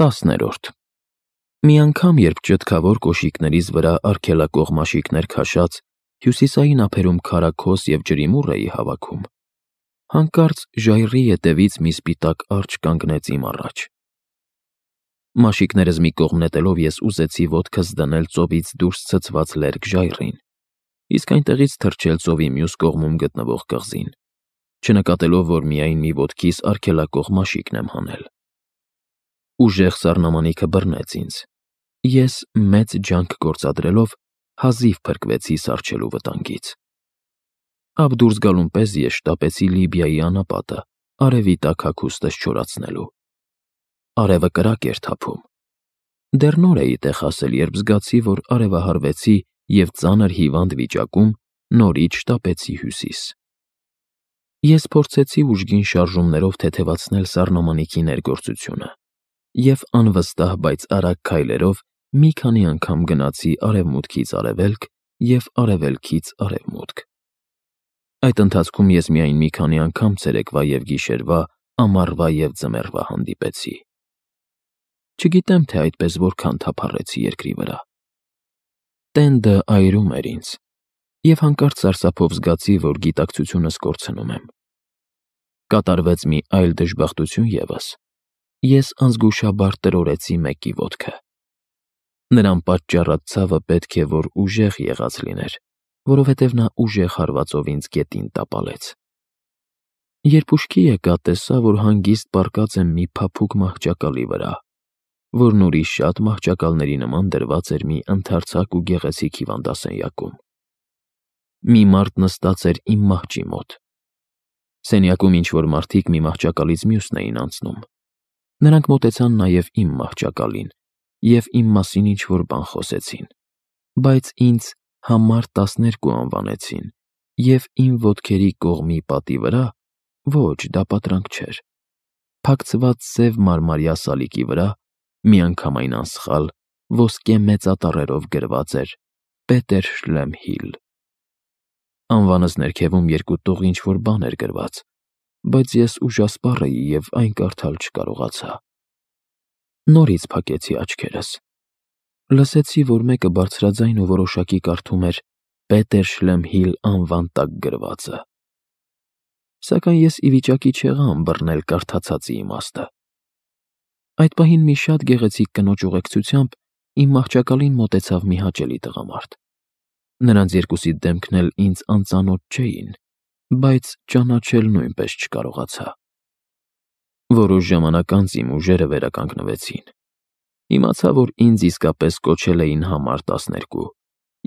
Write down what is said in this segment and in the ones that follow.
10-րդ Մի անգամ, երբ ճտկավոր կոշիկներից վրա արգելակող մաշիկներ քաշած, հյուսիսային ափերում քարաքոս և ջրիմուռ էի հավաքում, հանկարծ ժայռի ետևից մի սպիտակ արջը կանգնեց իմ առաջ։ Մաշիկներս մի կողմ նետելով ես ուզեցի ոտքս դնել ծովից դուրս ցցված լերկ ժայռին, իսկ այնտեղից թռչել ծովի մյուս կողմում գտնվող կղզին, չնկատելով, որ միայն մի ոտքիս արգելակող մաշիկն եմ հանել։ Ուժեղ սառնամանիքը բռնեց ինձ։ Ես, մեծ ջանք գործադրելով, հազիվ փրկվեցի սառչելու վտանգից։ Ափ դուրս գալուն պես ես շտապեցի Լիբիայի անապատը, արևի տակ հագուստս չորացնելու։ Արևը կրակ էր թափում։ Դեռ նոր էի տեղ հասել, երբ զգացի, որ արևահարվեցի և ծանր հիվանդ վիճակում նորից շտապեցի հյուսիս։ Ես փորձեցի ուժգին շարժումներով թեթևացնել սառնամանիքի ներգործությունը և անվստահ, բայց արագ քայլերով մի քանի անգամ գնացի արևմուտքից արևելք և արևելքից արևմուտք։ Այդ ընթացքում ես միայն մի քանի անգամ ցերեկվա և գիշերվա, ամառվա և ձմեռվա հանդիպեցի։ Չգիտեմ, թե այդպես որքան թափառեցի երկրի վրա։ Տենդը այրում էր ինձ, և հանկարծ սարսափով զգացի, որ գիտակցությունս կորցնում եմ։ Կատարվեց մի այլ դժբախտություն ևս։ Ես անզգուշաբար տրորեցի մեկի ոտքը։ Նրան պատճառած ցավը պետք է որ ուժեղ եղած լիներ, որովհետև նա ուժեղ հարվածով ինձ գետին տապալեց։ Երբ ուշքի եկա, տեսա, որ հանգիստ պառկած եմ մի փափուկ մահճակալի վրա, որն ուրիշ շատ մահճակալների նման դրված էր մի ընդարձակ ու գեղեցիկ հիվանդասենյակում։ Մի մարդ նստած էր իմ մահճի մոտ։ Սենյակում ինչ-որ մարդիկ մի մահճակալից մյուսն էին անցնում։ Նրանք մոտեցան նաև իմ մահճակալին և իմ մասին ինչ-որ բան խոսեցին, բայց ինձ համար 12 անվանեցին և իմ ոտքերի կողմի պատի վրա, ոչ, դա պատրանք չէր, փակցված սև մարմարյա սալիկի վրա միանգամայն անսխալ ոսկե մեծատառերով գրված էր Պետեր Շլեմհիլ։ Անվանս ներքևում երկու տող ինչ-որ բան էր գրված, բայց ես ուժասպառ էի և այն կարդալ չկարողացա։ Նորից փակեցի աչքերս։ Լսեցի, որ մեկը բարձրաձայն ու որոշակի կարդում էր Պետեր Շլեմհիլ անվան տակ գրվածը։ Սակայն ես ի վիճակի չեղա ըմբռնել կարդացածի իմաստը։ Այդ պահին մի շատ գեղեցիկ կնոջ ուղեկցությամբ իմ մահճակալին մոտեցավ մի հաճելի տղամարդ։ Նրանց երկուսի դեմքն էլ ինձ անծանոթ չէին, բայց ճանաչել նույնպես չկարողացա։ Որոշ ժամանակ անց իմ ուժերը վերականգնվեցին։ Իմացա, որ ինձ իսկապես կոչել էին համար 12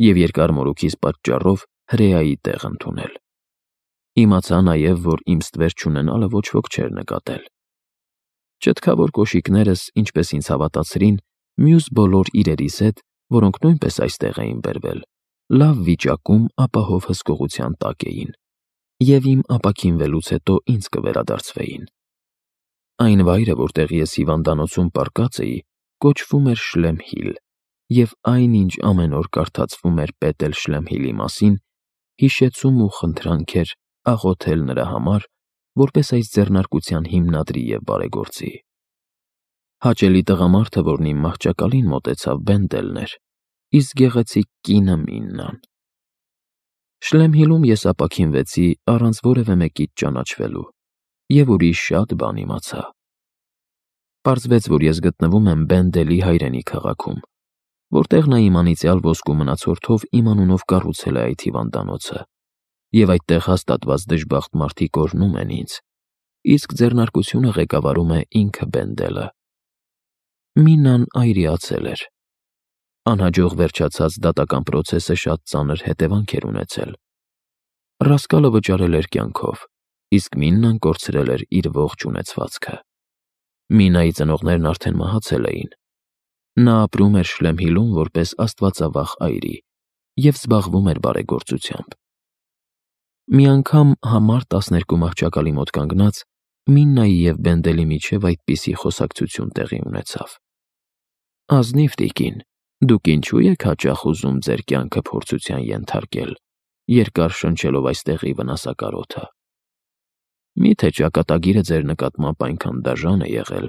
և երկար մորուքիս պատճառով հրեայի տեղ ընդունել։ Իմացա նաև, որ իմ ստվեր չունենալը ոչ ոք չէր նկատել։ Ճտկավոր կոշիկներս, ինչպես ինձ հավատացրին, մյուս բոլոր իրերիս հետ, որոնք նույնպես այստեղ էին բերվել, լավ վիճակում ապահով հսկողության տակ էին, և իմ ապաքինվելուց հետո ինձ կվերադարձվեին։ Այն վայրը, որտեղ ես հիվանդանոցում պառկած էի, կոչվում էր Շլեմհիլ, և այն, ինչ ամեն օր կարդացվում էր Պետեր Շլեմհիլի մասին, հիշեցում ու խնդրանք էր աղոթել նրա համար, որպես այս ձեռնարկության հիմնադրի և բարեգործի։ Հաճելի տղամարդը, որն իմ մահճակալին մոտեցավ, Բենդելն էր, իսկ գեղեցիկ կինը Միննան։ Շլեմհիլում ես ապաքինվեցի առանց որևէ մեկից ճանաչվելու և ուրիշ շատ բան իմացա։ Պարզվեց, որ ես գտնվում եմ Բենդելի հայրենի քաղաքում, որտեղ նա իմ անիծյալ ոսկու մնացորդով իմ անունով կառուցել է այդ հիվանդանոցը, և այդտեղ հաստատված դժբախտ մարդիկ օրհնում են ինձ, իսկ ձեռնարկությունը ղեկավարում է ինքը Բենդելը։ Միննան այրիացել էր։ Անհաջող վերջացած դատական պրոցեսը շատ ծանր հետևանքեր ունեցել։ Ռասկալը վճարել էր կյանքով, իսկ Միննան կորցրել էր իր ողջ ունեցվածքը։ Մինայի ծնողներն արդեն մահացել էին։ Նա ապրում էր Շլեմհիլում որպես աստվածավախ այրի և զբաղվում էր բարեգործությամբ։ Մի անգամ համար 12 մահճակալի մոտ կանգնած Միննայի և Բենդելի միջև այդպիսի խոսակցություն տեղի ունեցավ. «Ազնիվ տիկին, դուք ինչու եք հաճախ ուզում ձեր կյանքը փորձության ենթարկել, երկար շնչելով այստեղի վնասակար օդը։ Մի՞թե ճակատագիրը ձեր նկատմամբ այնքան դաժան է եղել,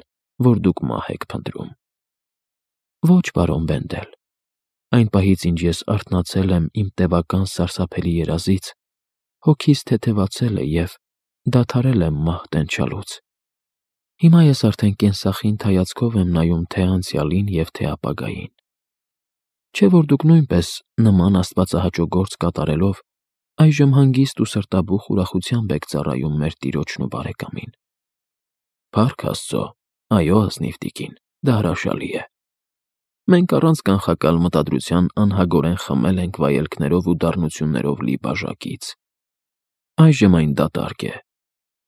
որ դուք մահ եք փնտրում։ Ոչ, պարոն Բենդել, այն պահից, ինչ ես արթնացել եմ իմ տևական սարսափելի երազից, հոգիս թեթևացել է և դադարել եմ մահ տենչալուց։ Հիմա ես արդեն կենսախինդ հայացքով եմ նայում թե անցյալին և թե ապագային։ Չէ՞ որ դուք նույնպես նման աստվածահաճո գործ կատարելով այժմ հանգիստ ու սրտաբուխ ուրախությամբ եք ծառայում մեր տիրոջն ու բարեկամին։ Փառք Աստծո, այո, ազնիվ տիկին, դա հրաշալի է։ Մենք առանց կանխակալ մտադրության անհագորեն խմել ենք վայելքներով ու դառնություններով լի բաժակից։ Այժմ այն դատարկ է,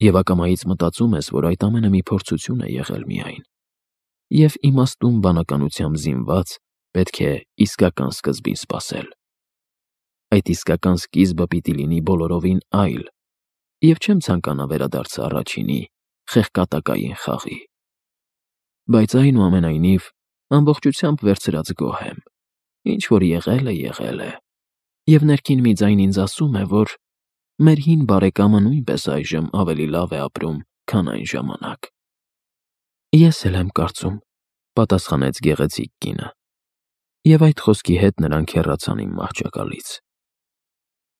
և ակամայից մտածում ես, որ այդ ամենը մի փորձություն է եղել միայն, և իմաստուն բանականությամբ զինված պետք է իսկական սկզբին սպասել։ Այդ իսկական սկիզբը պիտի լինի բոլորովին այլ, և չեմ ցանկանա վերադարձը առաջինի, խեղկատակային խաղի։ Բայց այնուամենայնիվ, ամբողջությամբ վերցրած գոհ եմ։ Ինչ որ եղել է, և ներքին մի ձայն ինձ ասում է, որ մեր հին բարեկամը նույնպես այժմ ավելի լավ է ապրում, քան այն ժամանակ։ Ես էլ եմ կարծում, պատասխանեց գեղեցիկ կինը, և այդ խոսքի հետ նրանք հեռացան իմ մահճակալից։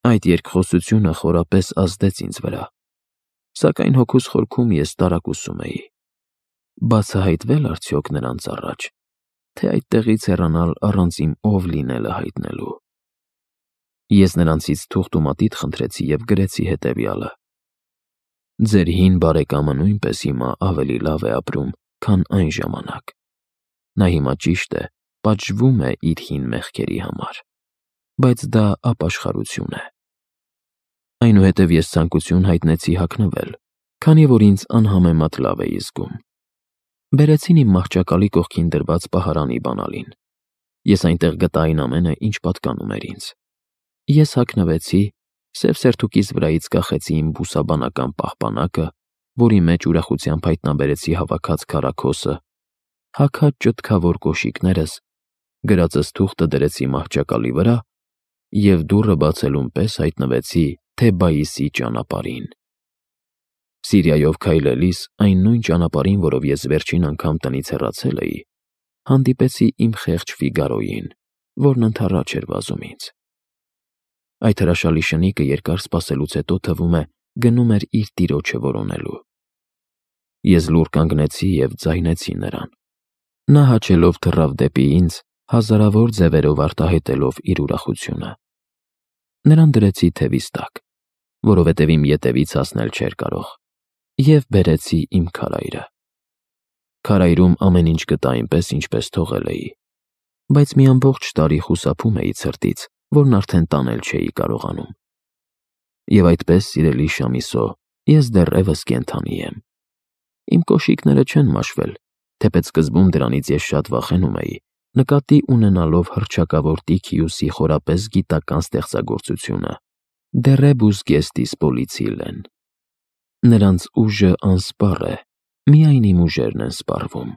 Այդ երկխոսությունը խորապես ազդեց ինձ վրա, սակայն հոգուս խորքում ես տարակուսում էի. բացահայտվե՞լ արդյոք նրանց առաջ, թե այդտեղից հեռանալ առանց իմ ով լինելը հայտնելու։ Ես նրանցից թուղթ ու մատիտ խնդրեցի և գրեցի հետևյալը. Ձեր հին բարեկամը նույնպես հիմա ավելի լավ է ապրում, քան այն ժամանակ։ Նա հիմա ճիշտ է, պատժվում է իր հին մեղքերի համար, բայց դա ապաշխարություն է։ Այնուհետև ես ցանկություն հայտնեցի հագնվել, քանի որ ինձ անհամեմատ լավ էի զգում։ Բերեցին իմ մահճակալի կողքին դրված պահարանի բանալին։ Ես այնտեղ գտա այն ամենը, ինչ պատկանում էր ինձ։ Ես հագնվեցի, սև սերթուկիս վրայից կախեցի իմ բուսաբանական պահպանակը, որի մեջ ուրախությամբ հայտնաբերեցի հավաքած քառաքոսը, հագած ճտքավոր կոշիկներս, գրածս թուղթը դրեցի մահճակալի վրա և դուռը բացելուն պես հայտնվեցի Թեբայիսի ճանապարհին։ Սիրիայով քայլելիս այն նույն ճանապարհին, որով ես վերջին անգամ տնից հեռացել էի, հանդիպեցի իմ խեղճ Ֆիգարոյին, որն ընդառաջ էր վազում ինձ։ Այդ հրաշալի շնիկը երկար սպասելուց հետո թվում է գնում էր իր տիրոջը որոնելու։ Ես լուռ կանգնեցի և ձայնեցի նրան։ Նա հաչելով թռավ դեպի ինձ, հազարավոր ձևերով արտահայտելով իր ուրախությունը։ Նրան դրեցի թևիս տակ, որովհետև իմ ետևից հասնել չէր կարող, և բերեցի իմ քարայրը։ Քարայրում ամեն ինչ գտա այնպես, ինչպես թողել էի, բայց մի ամբողջ տարի խուսափում էի ցրտից, որն արդեն տանել չէի կարողանում։ Եվ այդպես, սիրելի Շամիսո, ես դեռևս կենդանի եմ։ Իմ կոշիկները չեն մաշվել, թեպետ սկզբում դրանից ես շատ վախենում էի, նկատի ունենալով հռչակավոր Տիքիուսի խորապես գիտական ստեղծագործությունը Դեռեբուս գեստիս պոլիցիլեն։ Նրանց ուժը անսպառ է, միայն իմ ուժերն են սպառվում։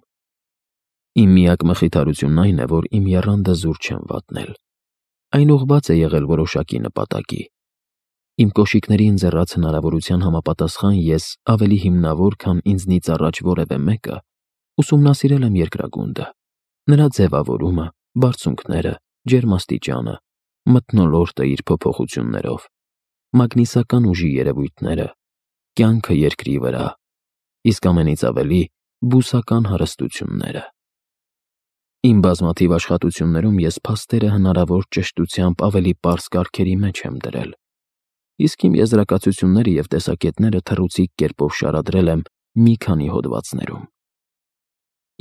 Իմ միակ մխիթարությունն այն է, որ իմ եռանդը զուր չեմ վատնել։ Այն ուղղված է եղել որոշակի նպատակի։ Իմ կոշիկների ընձեռած հնարավորության համապատասխան ես ավելի հիմնավոր, քան ինձնից առաջ որևէ մեկը, ուսումնասիրել եմ երկրագունդը, նրա ձևավորումը, բարձունքները, ջերմաստիճանը, մթնոլորտը իր փոփոխություններով, մագնիսական ուժի երևույթները, կյանքը երկրի վրա, իսկ ամենից ավելի բուսական հարստությունները։ Իմ բազմաթիվ աշխատություններում ես փաստերը հնարավոր ճշտությամբ ավելի պարզ կարգերի մեջ եմ դրել, իսկ իմ եզրակացությունները և տեսակետները թռուցիկ կերպով շարադրել եմ մի քանի հոդվածներում։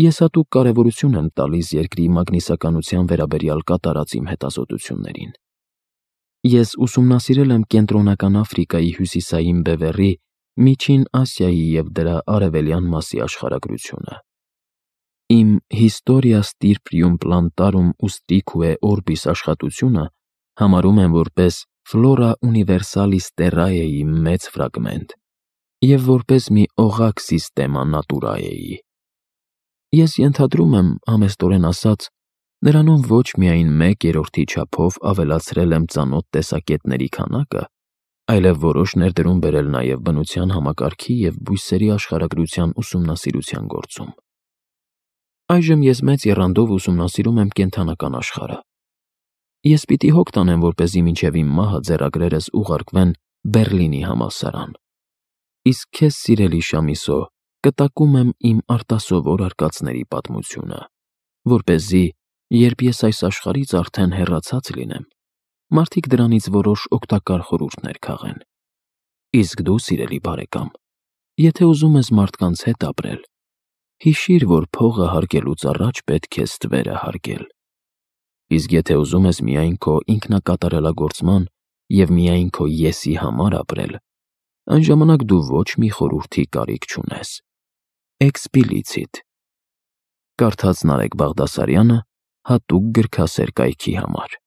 Ես հատուկ կարևորություն եմ տալիս երկրի մագնիսականության վերաբերյալ կատարած իմ հետազոտություններին։ Ես ուսումնասիրել եմ Կենտրոնական Աֆրիկայի հյուսիսային բևեռի, Միջին Ասիայի և դրա արևելյան մասի աշխարհագրությունը։ Իմ Historia Stirpium Plantarum Ustricuae Orbis աշխատությունը համարում եմ որպես Flora Universalis Terrae-ի մեծ ֆրագմենտ և որպես մի օղակ Systema Naturae-ի։ Ես ենթադրում եմ, համեստորեն ասած, նրանում ոչ միայն 1/3-ի չափով ավելացրել եմ ծանոթ տեսակետների քանակը, այլև որոշ ներդրում բերել նաև բնության համակարգի և բույսերի աշխարհագրության ուսումնասիրության գործում։ Այժմ ես մեծ եռանդով ուսումնասիրում եմ կենդանական աշխարհը։ Ես պիտի հոգ տանեմ, որպեսզի մինչև իմ մահը ձեռագրերս ուղարկվեն Բեռլինի համալսարան։ Իսկ քեզ, սիրելի Շամիսո, կտակում եմ իմ արտասովոր արկածների պատմությունը, որպեսզի, երբ ես այս աշխարհից արդեն հեռացած լինեմ, մարդիկ դրանից որոշ օգտակար խորհուրդներ քաղեն։ Իսկ դու, սիրելի բարեկամ, եթե ուզում ես մարդկանց հետ ապրել, հիշիր, որ փողը հարգելուց առաջ պետք է ստվերը հարգել։ Իսկ եթե ուզում ես միայն քո ինքնակատարելագործման և միայն քո «ես»-ի համար ապրել, այն ժամանակ դու ոչ մի խորհրդի կարիք չունես։ Էքսպիլիցիտ։ Կարդաց Նարեկ Բաղդասարյանը հատուկ գրքասեր կայքի համար։